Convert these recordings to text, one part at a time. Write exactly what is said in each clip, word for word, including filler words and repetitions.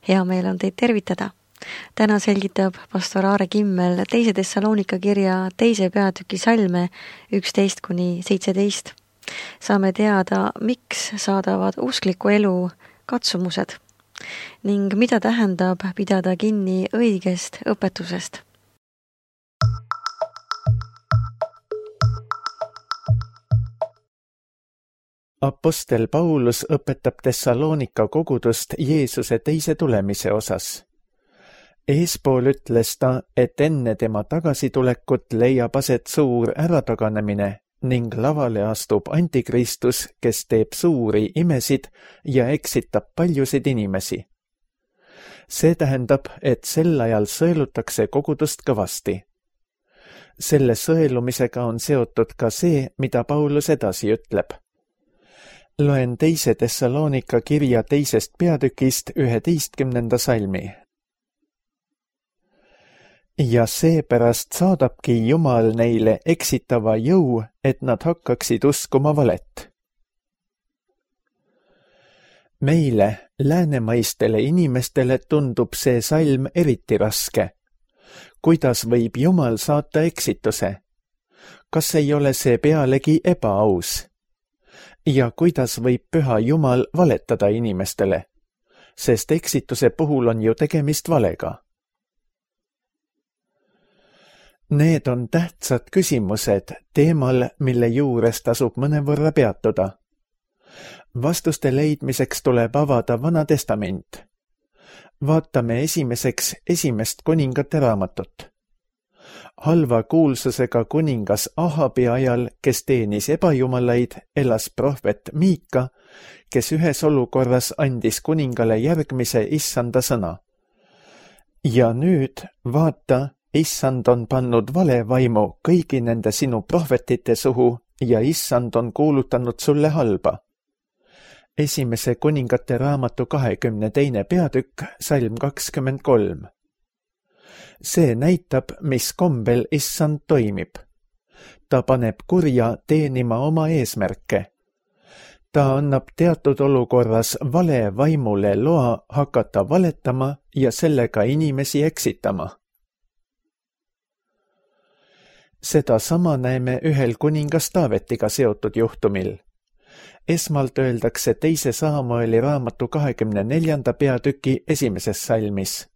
Hea meel on teid tervitada. Täna selgitab pastor Aare Kimmel teise Thessalonika kirja teise peatüki salme üksteist kuni seitseteist. Saame teada, miks saadavad uskliku elu katsumused ning mida tähendab pidada kinni õigest õpetusest. Apostel Paulus õpetab Thessalonika kogudust Jeesuse teise tulemise osas. Eespool ütles ta, et enne tema tagasitulekut leiab aset suur ärataganemine ning lavale astub antikristus, kes teeb suuri imesid ja eksitab paljusid inimesi. See tähendab, et sel ajal sõelutakse kogudust kõvasti. Selle sõelumisega on seotud ka see, mida Paulus edasi ütleb. Loen teise Thessalonika kirja teisest peatükist üheteistkümnenda salmi. Ja seepärast saadabki Jumal neile eksitava jõu, et nad hakkaksid uskuma valet. Meile, läänemaistele inimestele tundub see salm eriti raske. Kuidas võib Jumal saata eksituse? Kas ei ole see pealegi ebaaus? Ja kuidas võib püha Jumal valetada inimestele, sest eksituse puhul on ju tegemist valega. Need on tähtsad küsimused teemal, mille juures tasub mõnevõrra peatuda. Vastuste leidmiseks tuleb avada Vana Testament. Vaatame esimeseks esimest kuningate raamatut. Halva kuulsusega kuningas Ahabi ajal, kes teenis ebajumalaid, elas prohvet Miika, kes ühes olukorras andis kuningale järgmise issanda sõna. Ja nüüd, vaata, issand on pannud valevaimu kõigi nende sinu prohvetite suhu ja issand on kuulutanud sulle halba. Esimese kuningate raamatu kahekümne teine peatükk, salm kakskümmend kolm. See näitab, mis kombel issand toimib. Ta paneb kurja teenima oma eesmärke. Ta annab teatud olukorras vale vaimule loa hakata valetama ja sellega inimesi eksitama. Seda sama näeme ühel kuningas Taavetiga seotud juhtumil. Esmalt öeldakse teise Saamueli raamatu kahekümne neljanda peatüki esimeses salmis.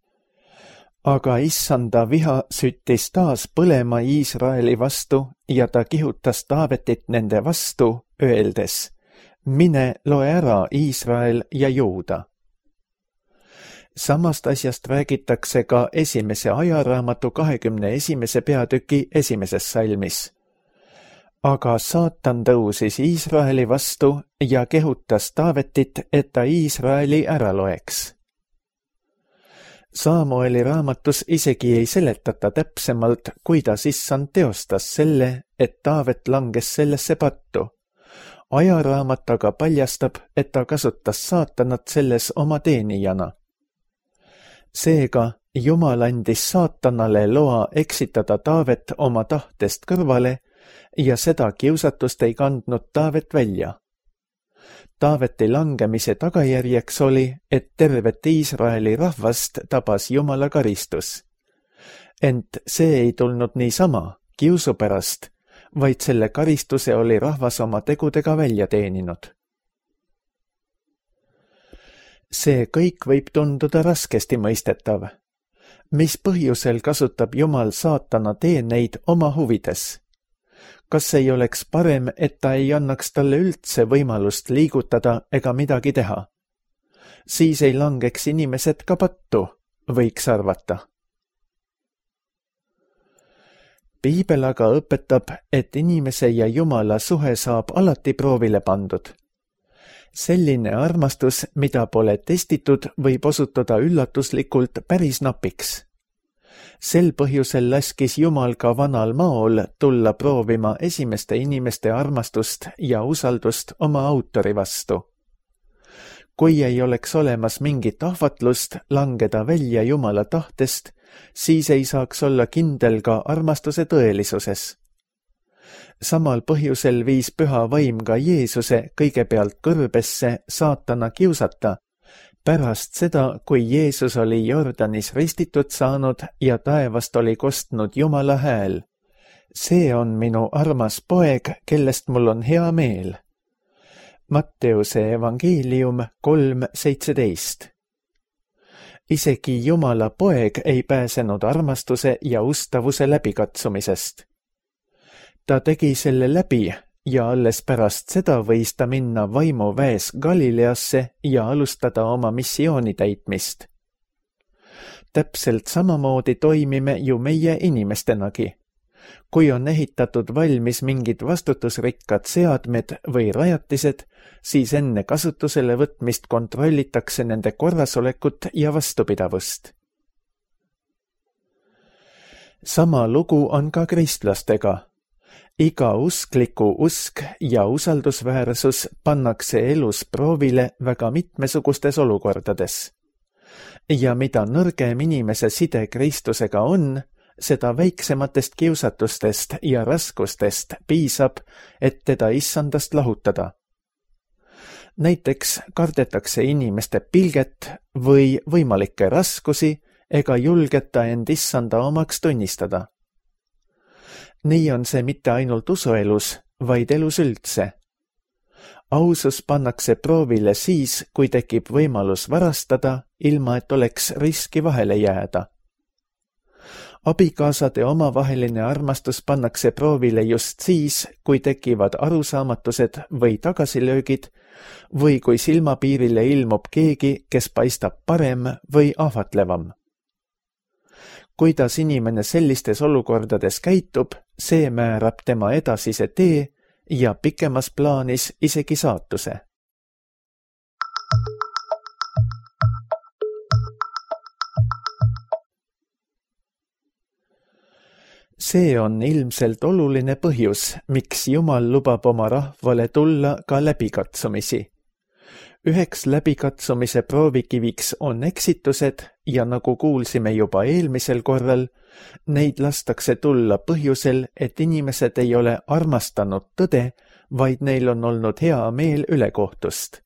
Aga issanda viha süttis taas põlema Iisraeli vastu ja ta kihutas Taavetit nende vastu, öeldes, mine loe ära Iisrael ja Juuda. Samast asjast räägitakse ka esimese ajaraamatu kahekümne esimese peatüki esimeses salmis. Aga saatan tõusis Iisraeli vastu ja kehutas Taavetit, et ta Iisraeli ära loeks. Saamueli raamatus isegi ei seletata täpsemalt, kuidas issand teostas selle, et Taavet langes sellesse pattu. Ajaraamat aga paljastab, et ta kasutas saatanat selles oma teenijana. Seega, Jumal andis saatanale loa eksitada Taavet oma tahtest kõrvale ja seda kiusatust ei kandnud Taavet välja. Taaveti langemise tagajärjeks oli, et tervet Iisraeli rahvast tabas Jumala karistus. Ent see ei tulnud niisama, kiusu pärast, vaid selle karistuse oli rahvas oma tegudega välja teeninud. See kõik võib tunduda raskesti mõistetav. Mis põhjusel kasutab Jumal saatana teeneid oma huvides? Kas ei oleks parem, et ta ei annaks talle üldse võimalust liigutada ega midagi teha? Siis ei langeks inimesed ka pattu, võiks arvata. Piibel aga õpetab, et inimese ja Jumala suhe saab alati proovile pandud. Selline armastus, mida pole testitud, võib osutuda üllatuslikult päris napiks. Sel põhjusel laskis Jumal ka vanal maol tulla proovima esimeste inimeste armastust ja usaldust oma autori vastu. Kui ei oleks olemas mingit ahvatlust langeda välja Jumala tahtest, siis ei saaks olla kindel ka armastuse tõelisuses. Samal põhjusel viis püha vaim ka Jeesuse kõigepealt kõrbesse saatana kiusata, Pärast seda, kui Jeesus oli Jordanis ristitud saanud ja taevast oli kostnud Jumala hääl: see on minu armas poeg, kellest mul on hea meel. Matteuse evangeelium kolm seitseteist. Isegi Jumala poeg ei pääsenud armastuse ja ustavuse läbikatsumisest. Ta tegi selle läbi ja alles pärast seda võis ta minna vaimuväes Galileasse ja alustada oma missiooni täitmist. Täpselt samamoodi toimime ju meie inimestenagi. Kui on ehitatud valmis mingid vastutusrikkad seadmed või rajatised, siis enne kasutusele võtmist kontrollitakse nende korrasolekut ja vastupidavust. Sama lugu on ka kristlastega. Iga uskliku usk ja usaldusväärsus pannakse elus proovile väga mitmesugustes olukordades. Ja mida nõrgem inimese side Kristusega on, seda väiksematest kiusatustest ja raskustest piisab, et teda issandast lahutada. Näiteks kardetakse inimeste pilget või võimalikke raskusi ega julgeta end issanda omaks tunnistada. Nii on see mitte ainult usuelus, vaid elus üldse. Ausus pannakse proovile siis, kui tekib võimalus varastada, ilma et oleks riski vahele jääda. Abikaasade omavaheline armastus pannakse proovile just siis, kui tekivad arusaamatused või tagasilöögid või kui silmapiirile ilmub keegi, kes paistab parem või ahvatlevam. Kuidas inimene sellistes olukordades käitub, see määrab tema edasise tee ja pikemas plaanis isegi saatuse. See on ilmselt oluline põhjus, miks Jumal lubab oma rahvale tulla ka läbikatsumisi. Üheks läbikatsumise proovikiviks on eksitused ja nagu kuulsime juba eelmisel korral, neid lastakse tulla põhjusel, et inimesed ei ole armastanud tõde, vaid neil on olnud hea meel ülekohtust.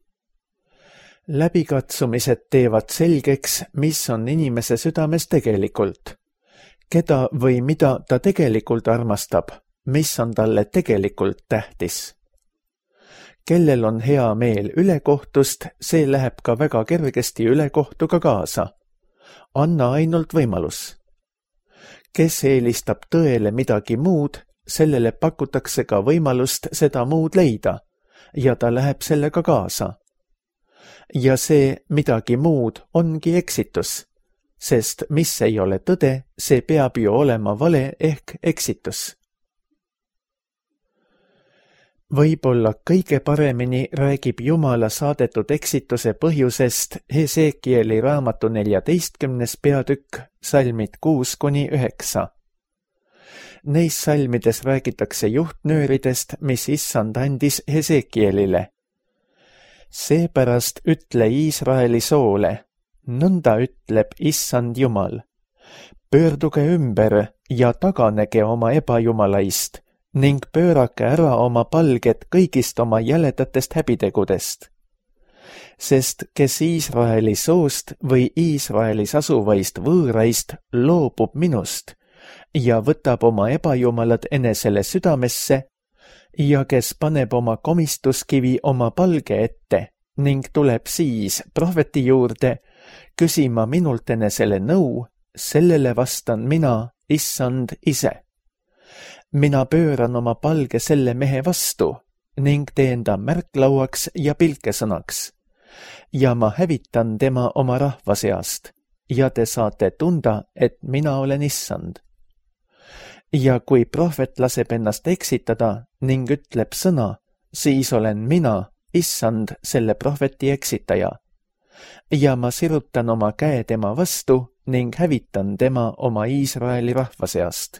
Läbikatsumised teevad selgeks, mis on inimese südames tegelikult. Keda või mida ta tegelikult armastab, mis on talle tegelikult tähtis. Kellel on hea meel ülekohtust, see läheb ka väga kergesti ülekohtuga kaasa. Anna ainult võimalus. Kes eelistab tõele midagi muud, sellele pakutakse ka võimalust seda muud leida ja ta läheb sellega kaasa. Ja see midagi muud ongi eksitus, sest mis ei ole tõde, see peab ju olema vale ehk eksitus. Võib-olla kõige paremini räägib Jumala saadetud eksituse põhjusest Hesekieli raamatu neljateistkümnes peatükk, salmid kuus kuni üheksa. Neis salmides räägitakse juhtnööridest, mis issand andis Hesekielile. Seepärast ütle Iisraeli soole, nõnda ütleb issand Jumal. Pöörduge ümber ja taganege oma ebajumalaist ning pöörake ära oma palged kõigist oma jäledatest häbitegudest. Sest kes Iisraeli soost või Iisraelis asuvaist võõraist loobub minust ja võtab oma ebajumalad enesele südamesse ja kes paneb oma komistuskivi oma palge ette ning tuleb siis prohveti juurde küsima minult enesele nõu, sellele vastan mina, issand ise. Mina pööran oma palge selle mehe vastu ning teen ta märklauaks ja pilkesõnaks ja ma hävitan tema oma rahva seast ja te saate tunda, et mina olen issand. Ja kui prohvet laseb ennast eksitada ning ütleb sõna, siis olen mina, issand, selle prohveti eksitaja. Ja ma sirutan oma käe tema vastu ning hävitan tema oma Iisraeli rahva seast.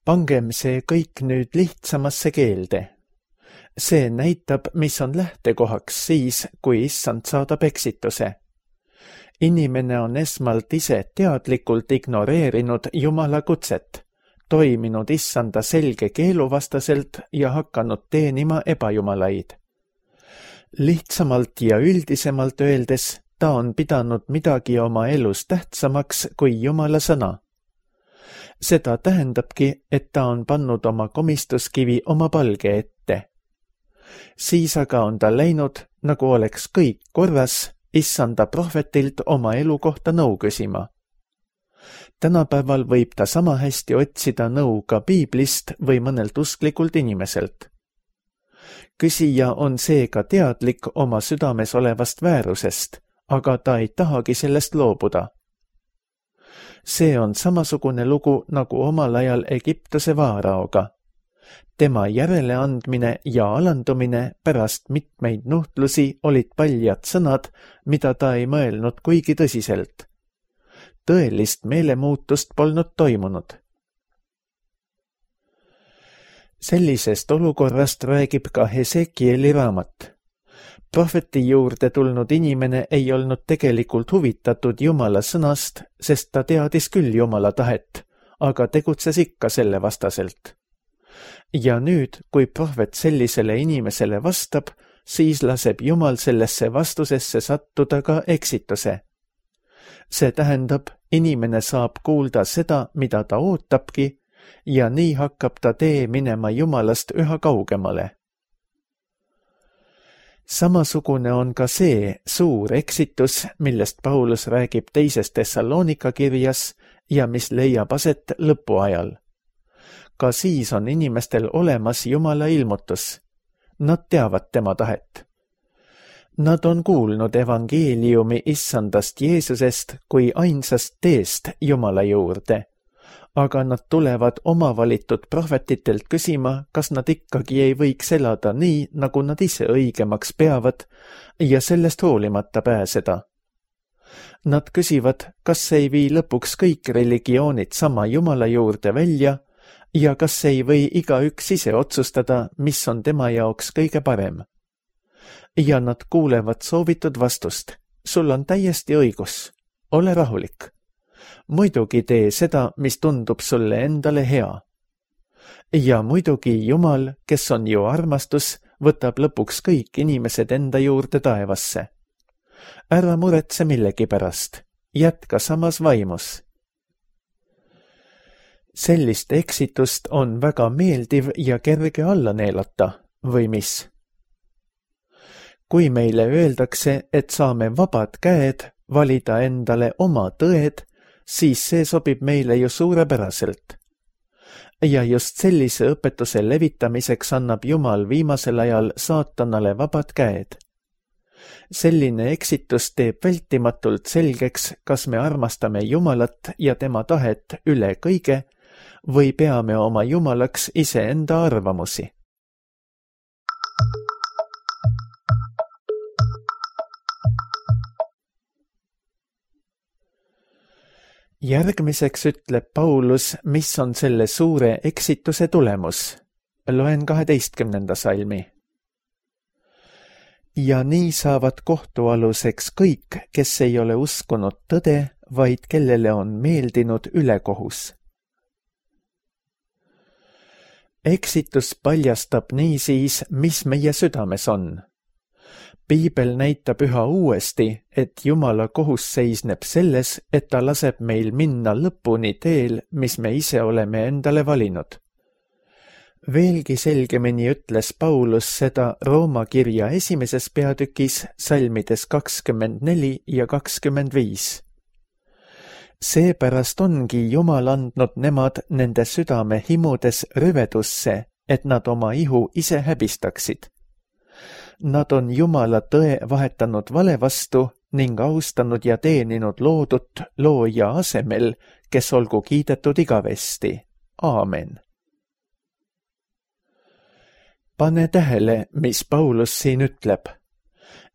Pangem see kõik nüüd lihtsamasse keelde. See näitab, mis on lähtekohaks siis, kui issand saadab eksituse. Inimene on esmalt ise teadlikult ignoreerinud Jumala kutset, toiminud issanda selge keeluvastaselt ja hakanud teenima ebajumalaid. Lihtsamalt ja üldisemalt öeldes ta on pidanud midagi oma elus tähtsamaks kui Jumala sõna. Seda tähendabki, et ta on pannud oma komistuskivi oma palge ette. Siis aga on ta läinud, nagu oleks kõik korras, issanda prohvetilt oma elu kohta nõu küsima. Tänapäeval võib ta sama hästi otsida nõu ka piiblist või mõnelt usklikult inimeselt. Küsija on seega teadlik oma südames olevast väärusest, aga ta ei tahagi sellest loobuda. See on samasugune lugu nagu omal ajal Egiptuse vaaraoga. Tema järeleandmine ja alandumine pärast mitmeid nuhtlusi olid paljad sõnad, mida ta ei mõelnud kuigi tõsiselt. Tõelist meelemuutust polnud toimunud. Sellisest olukorrast räägib ka Hesekieli raamat. Prohveti juurde tulnud inimene ei olnud tegelikult huvitatud Jumala sõnast, sest ta teadis küll Jumala tahet, aga tegutses ikka selle vastaselt. Ja nüüd, kui prohvet sellisele inimesele vastab, siis laseb Jumal sellesse vastusesse sattuda ka eksituse. See tähendab, inimene saab kuulda seda, mida ta ootabki, ja nii hakkab ta tee minema Jumalast üha kaugemale. Samasugune on ka see suur eksitus, millest Paulus räägib teises Thessalonika kirjas ja mis leiab aset lõpuajal. Ka siis on inimestel olemas Jumala ilmutus. Nad teavad tema tahet. Nad on kuulnud evangeeliumi issandast Jeesusest kui ainsast teest Jumala juurde, aga nad tulevad oma valitud prohvetitelt küsima, kas nad ikkagi ei võiks elada nii, nagu nad ise õigemaks peavad ja sellest hoolimata pääseda. Nad küsivad, kas ei vii lõpuks kõik religioonid sama Jumala juurde välja ja kas ei või igaüks ise otsustada, mis on tema jaoks kõige parem. Ja nad kuulevad soovitud vastust. Sul on täiesti õigus. Ole rahulik. Muidugi tee seda, mis tundub sulle endale hea. Ja muidugi Jumal, kes on ju armastus, võtab lõpuks kõik inimesed enda juurde taevasse. Ära muretse millegi pärast. Jätka samas vaimus. Sellist eksitust on väga meeldiv ja kerge alla neelata, või mis? Kui meile öeldakse, et saame vabad käed valida endale oma tõed, siis see sobib meile ju suurepäraselt. Ja just sellise õpetuse levitamiseks annab Jumal viimasel ajal saatanale vabad käed. Selline eksitus teeb vältimatult selgeks, kas me armastame Jumalat ja tema tahet üle kõige või peame oma Jumalaks iseenda arvamusi. Järgmiseks ütleb Paulus, mis on selle suure eksituse tulemus. Loen kaheteistkümnenda salmi. Ja nii saavad kohtualuseks kõik, kes ei ole uskunud tõde, vaid kellele on meeldinud ülekohus. Eksitus paljastab niisiis, mis meie südames on. Piibel näitab üha uuesti, et Jumala kohus seisneb selles, et ta laseb meil minna lõpuni teel, mis me ise oleme endale valinud. Veelgi selgemini ütles Paulus seda Rooma kirja esimeses peatükis salmides kakskümmend neli ja kakskümmend viis. Seepärast ongi Jumal andnud nemad nende südame himudes rüvedusse, et nad oma ihu ise häbistaksid. Nad on Jumala tõe vahetanud vale vastu ning austanud ja teeninud loodut looja asemel, kes olgu kiidetud igavesti. Aamen. Pane tähele, mis Paulus siin ütleb.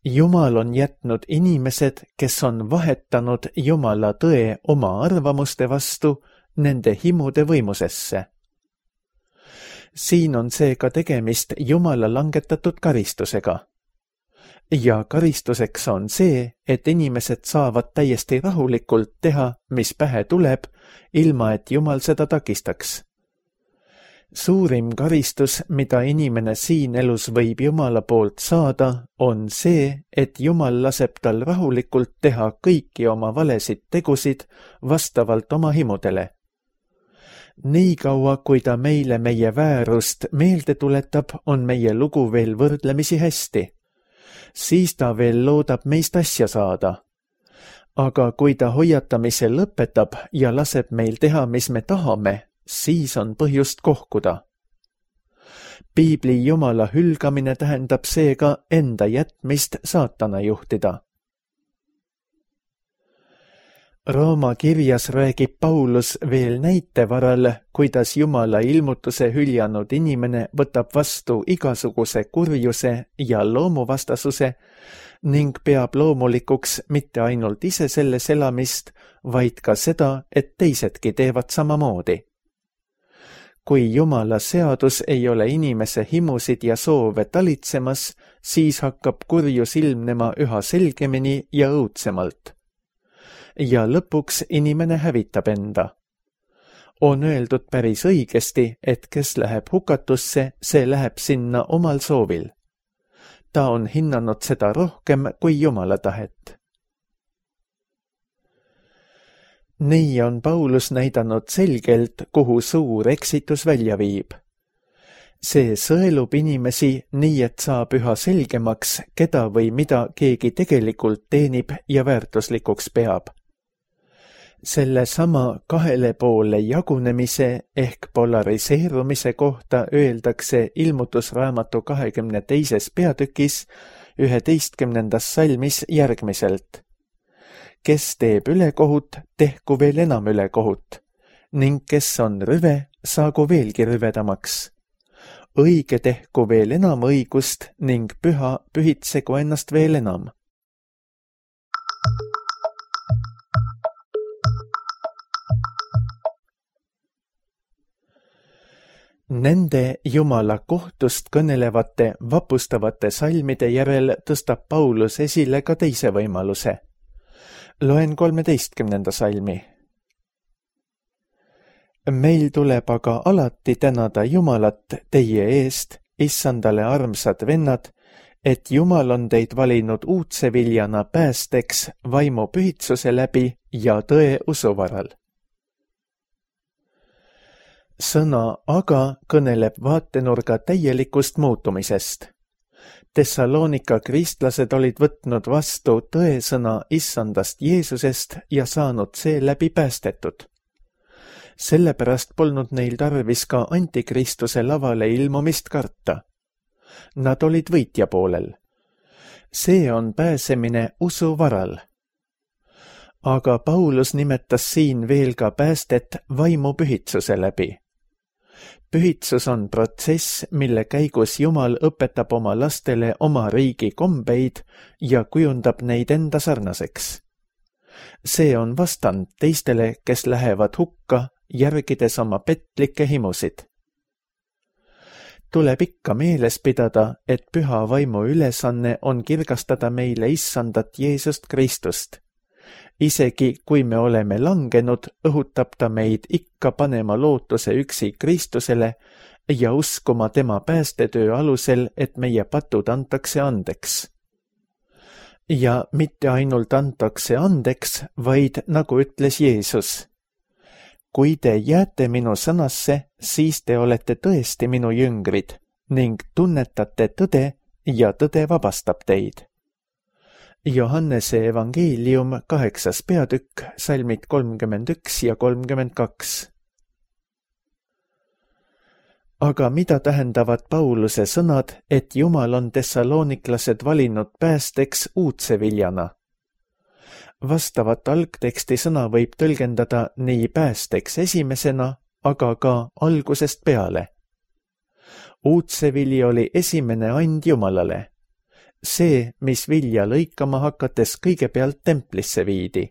Jumal on jätnud inimesed, kes on vahetanud Jumala tõe oma arvamuste vastu nende himude võimusesse. Siin on seega tegemist Jumala langetatud karistusega. Ja karistuseks on see, et inimesed saavad täiesti rahulikult teha, mis pähe tuleb, ilma et Jumal seda takistaks. Suurim karistus, mida inimene siin elus võib Jumala poolt saada, on see, et Jumal laseb tal rahulikult teha kõiki oma valesid tegusid vastavalt oma himudele. Nii kaua, kui ta meile meie väärust meelde tuletab, on meie lugu veel võrdlemisi hästi. Siis ta veel loodab meist asja saada. Aga kui ta hoiatamise lõpetab ja laseb meil teha, mis me tahame, siis on põhjust kohkuda. Piibli Jumala hülgamine tähendab seega enda jätmist saatana juhtida. Rooma kirjas räägib Paulus veel näite varal, kuidas Jumala ilmutuse hüljanud inimene võtab vastu igasuguse kurjuse ja loomuvastasuse ning peab loomulikuks mitte ainult ise selles elamist, vaid ka seda, et teisedki teevad samamoodi. Kui Jumala seadus ei ole inimese himusid ja soove talitsemas, siis hakkab kurjus ilmnema üha selgemini ja õudsemalt. Ja lõpuks inimene hävitab enda. On öeldud päris õigesti, et kes läheb hukatusse, see läheb sinna omal soovil. Ta on hinnanud seda rohkem kui Jumala tahet. Nii on Paulus näidanud selgelt, kuhu suur eksitus välja viib. See sõelub inimesi nii, et saab üha selgemaks, keda või mida keegi tegelikult teenib ja väärtuslikuks peab. Selle sama kahele poole jagunemise ehk polariseerumise kohta öeldakse ilmutusraamatu kahekümne teises peatükis üheteistkümnendas salmis järgmiselt. Kes teeb ülekohut, tehku veel enam ülekohut, ning kes on rüve, saagu veelgi rüvedamaks. Õige tehku veel enam õigust ning püha pühitsegu ennast veel enam. Nende Jumala kohtust kõnelevate vapustavate salmide järel tõstab Paulus esile ka teise võimaluse. Loen kolmeteistkümnenda salmi. Meil tuleb aga alati tänada Jumalat teie eest, issandale armsad vennad, et Jumal on teid valinud uudse viljana päästeks vaimu pühitsuse läbi ja tõe usu varal. Sõna aga kõneleb vaatenurga täielikust muutumisest. Tessaloonika kristlased olid võtnud vastu tõesõna issandast Jeesusest ja saanud seeläbi päästetud. Sellepärast polnud neil tarvis ka antikristuse lavale ilmumist karta. Nad olid võitja poolel. See on pääsemine usu varal. Aga Paulus nimetas siin veel ka päästet vaimu pühitsuse läbi. Pühitsus on protsess, mille käigus Jumal õpetab oma lastele oma riigi kombeid ja kujundab neid enda sarnaseks. See on vastand teistele, kes lähevad hukka, järgides oma petlikke himusid. Tuleb ikka meeles pidada, et püha vaimu ülesanne on kirgastada meile issandat Jeesust Kristust. Isegi kui me oleme langenud, õhutab ta meid ikka panema lootuse üksi Kristusele ja uskuma tema päästetöö alusel, et meie patud antakse andeks. Ja mitte ainult antakse andeks, vaid nagu ütles Jeesus. Kui te jääte minu sõnasse, siis te olete tõesti minu jüngrid ning tunnetate tõde ja tõde vabastab teid. Johannese evangeelium kaheksas peatükk, salmid kolmkümmend üks ja kolmkümmend kaks. Aga mida tähendavad Pauluse sõnad, et Jumal on tessaloniklased valinud päästeks uudse viljana? Vastavat algteksti sõna võib tõlgendada nii päästeks esimesena, aga ka algusest peale. Uudse vili oli esimene and Jumalale. See, mis vilja lõikama hakates kõigepealt templisse viidi.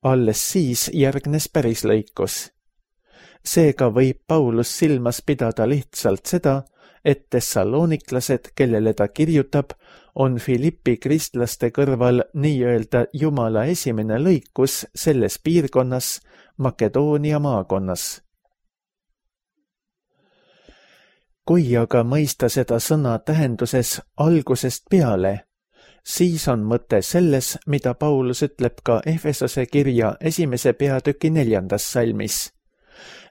Alles siis järgnes päris lõikus. Seega võib Paulus silmas pidada lihtsalt seda, et tessaloniklased, kellele ta kirjutab, on Filippi kristlaste kõrval nii-öelda Jumala esimene lõikus selles piirkonnas, Makedoonia maakonnas. kui aga mõista seda sõna tähenduses algusest peale, siis on mõte selles, mida Paulus ütleb ka Efesose kirja esimese peatüki neljandas salmis.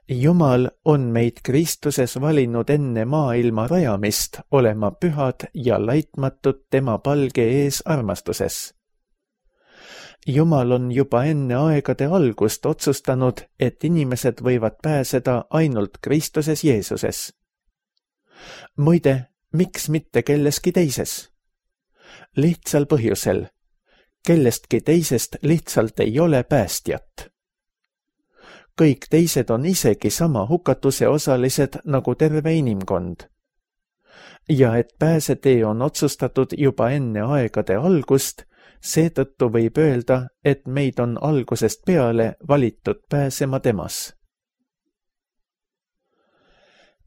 Jumal on meid Kristuses valinud enne maailma rajamist olema pühad ja laitmatud tema palge ees armastuses. Jumal on juba enne aegade algust otsustanud, et inimesed võivad pääseda ainult Kristuses Jeesuses. Muide, miks mitte kelleski teises? Lihtsal põhjusel. Kellestki teisest lihtsalt ei ole päästjat. Kõik teised on isegi sama hukatuse osalised nagu terve inimkond. Ja et pääsetee on otsustatud juba enne aegade algust, seetõttu võib öelda, et meid on algusest peale valitud pääsema temas.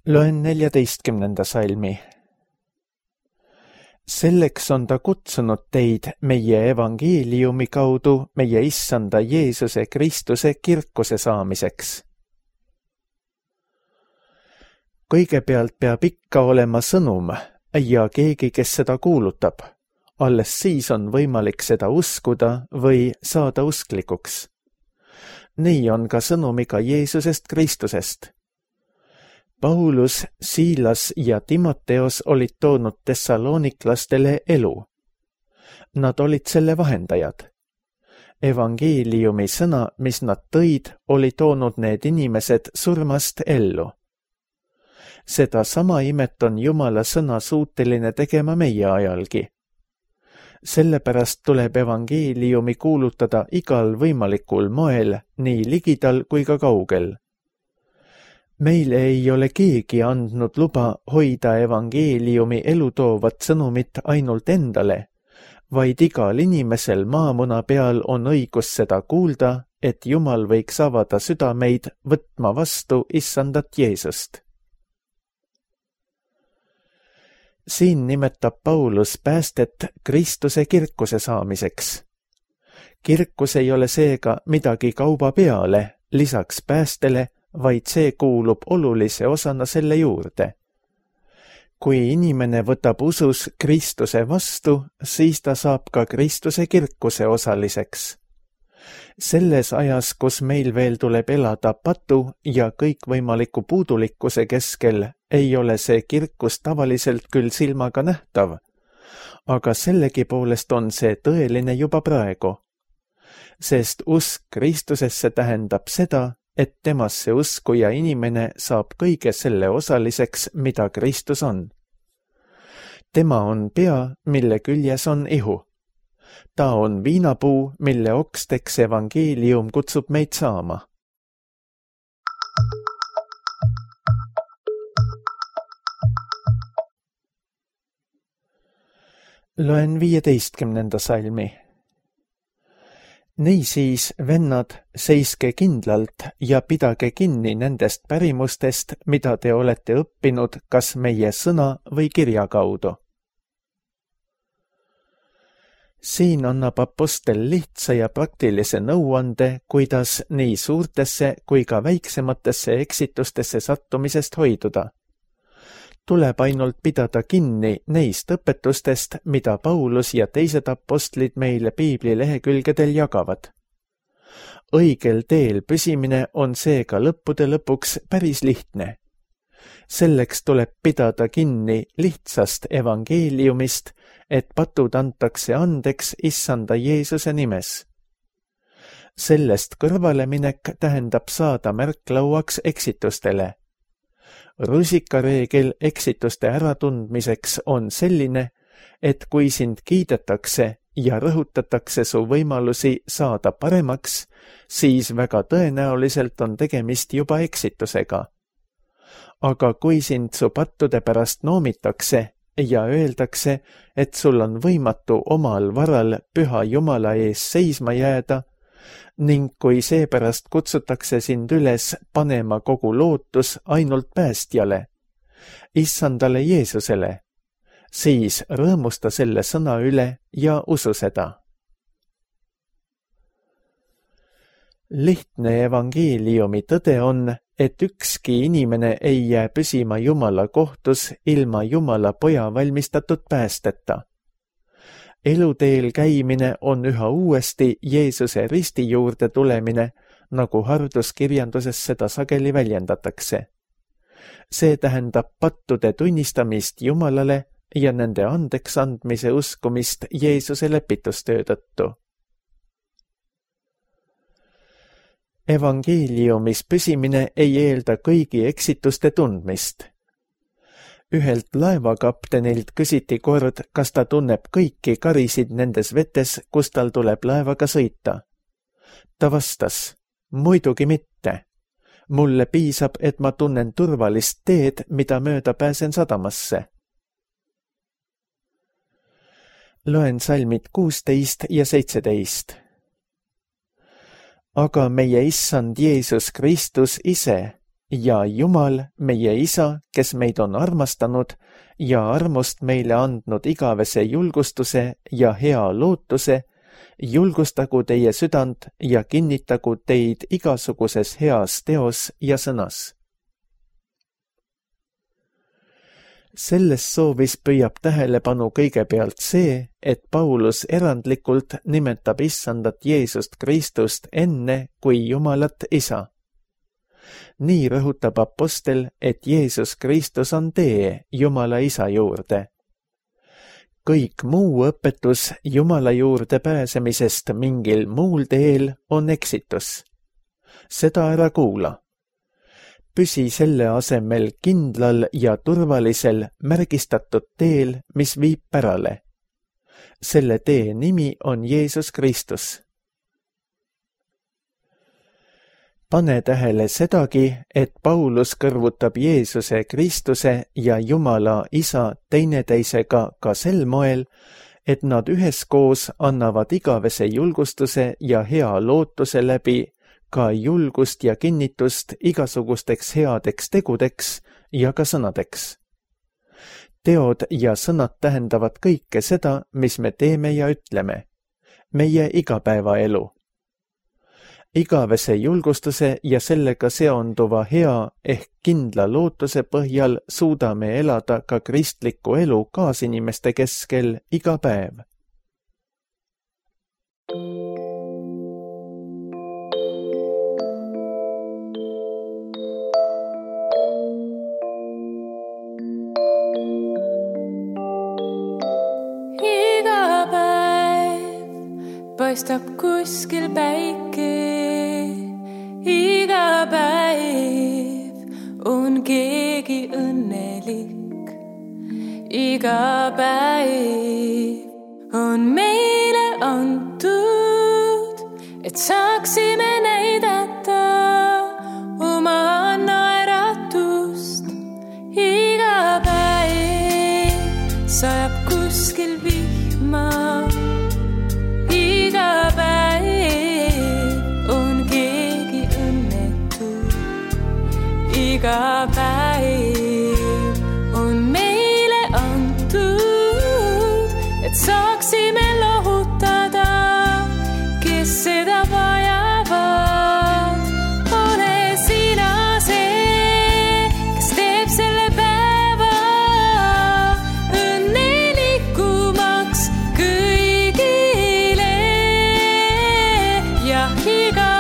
Loen neljateistkümnenda salmi. Selleks on ta kutsunud teid meie evangeeliumi kaudu meie issanda Jeesuse Kristuse kirkuse saamiseks. Kõigepealt peab ikka olema sõnum ja keegi, kes seda kuulutab. Alles siis on võimalik seda uskuda või saada usklikuks. Nii on ka sõnumiga Jeesusest Kristusest. Paulus, Siilas ja Timoteos olid toonud tessaloniklastele elu. Nad olid selle vahendajad. Evangeeliumi sõna, mis nad tõid, oli toonud need inimesed surmast ellu. Seda sama imet on Jumala sõna suuteline tegema meie ajalgi. Sellepärast tuleb evangeeliumi kuulutada igal võimalikul moel, nii ligidal kui ka kaugel. Meile ei ole keegi andnud luba hoida evangeeliumi elutoovat sõnumit ainult endale, vaid igal inimesel maamuna peal on õigus seda kuulda, et Jumal võiks avada südameid võtma vastu issandat Jeesust. Siin nimetab Paulus päästet Kristuse kirkuse saamiseks. Kirkus ei ole seega midagi kauba peale, lisaks päästele, vaid see kuulub olulise osana selle juurde. Kui inimene võtab usus Kristuse vastu, siis ta saab ka Kristuse kirkuse osaliseks. Selles ajas, kus meil veel tuleb elada patu ja kõikvõimaliku puudulikkuse keskel, ei ole see kirkus tavaliselt küll silmaga nähtav, aga sellegipoolest on see tõeline juba praegu. Sest usk Kristusesse tähendab seda, et temasse uskuja inimene saab kõige selle osaliseks, mida Kristus on. Tema on pea, mille küljes on ihu. Ta on viinapuu, mille oksteks evangeelium kutsub meid saama. Loen viieteistkümnenda salmi. Niisiis, vennad, seiske kindlalt ja pidage kinni nendest pärimustest, mida te olete õppinud kas meie sõna või kirja kaudu. Siin annab apostel lihtsa ja praktilise nõuande, kuidas nii suurtesse kui ka väiksematesse eksitustesse sattumisest hoiduda. Tuleb ainult pidada kinni neist õpetustest, mida Paulus ja teised apostlid meile piibli lehekülgedel jagavad. Õigel teel püsimine on seega lõppude lõpuks päris lihtne. Selleks tuleb pidada kinni lihtsast evangeeliumist, et patud antakse andeks issanda Jeesuse nimes. Sellest kõrvaleminek tähendab saada märklauaks eksitustele. Rusikareegel eksituste äratundmiseks on selline, et kui sind kiidetakse ja rõhutatakse su võimalusi saada paremaks, siis väga tõenäoliselt on tegemist juba eksitusega. Aga kui sind su pattude pärast noomitakse ja öeldakse, et sul on võimatu omal varal püha Jumala ees seisma jääda, ning kui seepärast kutsutakse sind üles panema kogu lootus ainult päästjale, issandale Jeesusele, siis rõõmusta selle sõna üle ja usu seda. Lihtne evangeeliumi tõde on, et ükski inimene ei jää püsima Jumala kohtus ilma Jumala poja valmistatud päästeta. Eluteel käimine on üha uuesti Jeesuse risti juurde tulemine, nagu harduskirjanduses seda sageli väljendatakse. See tähendab pattude tunnistamist Jumalale ja nende andeks andmise uskumist Jeesuse lepitustöö tõttu. Evangeeliumis püsimine ei eelda kõigi eksituste tundmist. Ühelt laevakaptenilt küsiti kord, kas ta tunneb kõiki karisid nendes vetes, kus tal tuleb laevaga sõita. Ta vastas, muidugi mitte. Mulle piisab, et ma tunnen turvalist teed, mida mööda pääsen sadamasse. Loen salmid kuusteist ja seitseteist. Aga meie issand Jeesus Kristus ise ja Jumal, meie isa, kes meid on armastanud ja armust meile andnud igavese julgustuse ja hea lootuse, julgustagu teie südant ja kinnitagu teid igasuguses heas teos ja sõnas. Selles soovis püüab tähelepanu kõigepealt see, et Paulus erandlikult nimetab issandat Jeesust Kristust enne kui Jumalat isa. Nii rõhutab apostel, et Jeesus Kristus on tee Jumala isa juurde. Kõik muu õpetus Jumala juurde pääsemisest mingil muul teel on eksitus. Seda ära kuula. Püsi selle asemel kindlal ja turvalisel märgistatud teel, mis viib pärale. Selle tee nimi on Jeesus Kristus. Pane tähele sedagi, et Paulus kõrvutab Jeesuse Kristuse ja Jumala isa teineteisega ka sel moel, et nad üheskoos annavad igavese julgustuse ja hea lootuse läbi ka julgust ja kinnitust igasugusteks headeks tegudeks ja ka sõnadeks. Teod ja sõnad tähendavad kõike seda, mis me teeme ja ütleme. Meie igapäevaelu. Igavese julgustuse ja sellega seonduva hea ehk kindla lootuse põhjal suudame elada ka kristlikku elu kaasinimeste keskel iga päev. Iga päev paistab kuskil päike. Iga päev on keegi õnnelik. Iga päev on meile antud, et saaksime näidata oma naeratust. Iga päev sajab kuskil vihma. Iga päev iga päev on meile antud, et saaksime lohutada, kes seda vajavad. Ole sina see, kes teeb selle päeva õnnelikumaks kõigile. Ja iga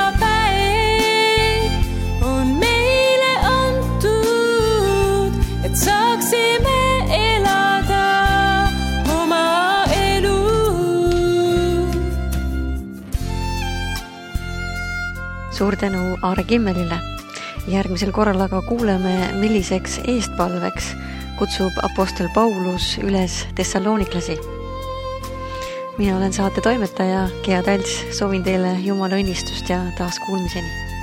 suur tänu Aare Kimmelile. Järgmisel korral aga kuuleme, milliseks eestpalveks kutsub apostel Paulus üles tessalooniklasi. Mina olen saate toimetaja Gea Talts, soovin teile Jumala õnnistust ja taas kuulmiseni.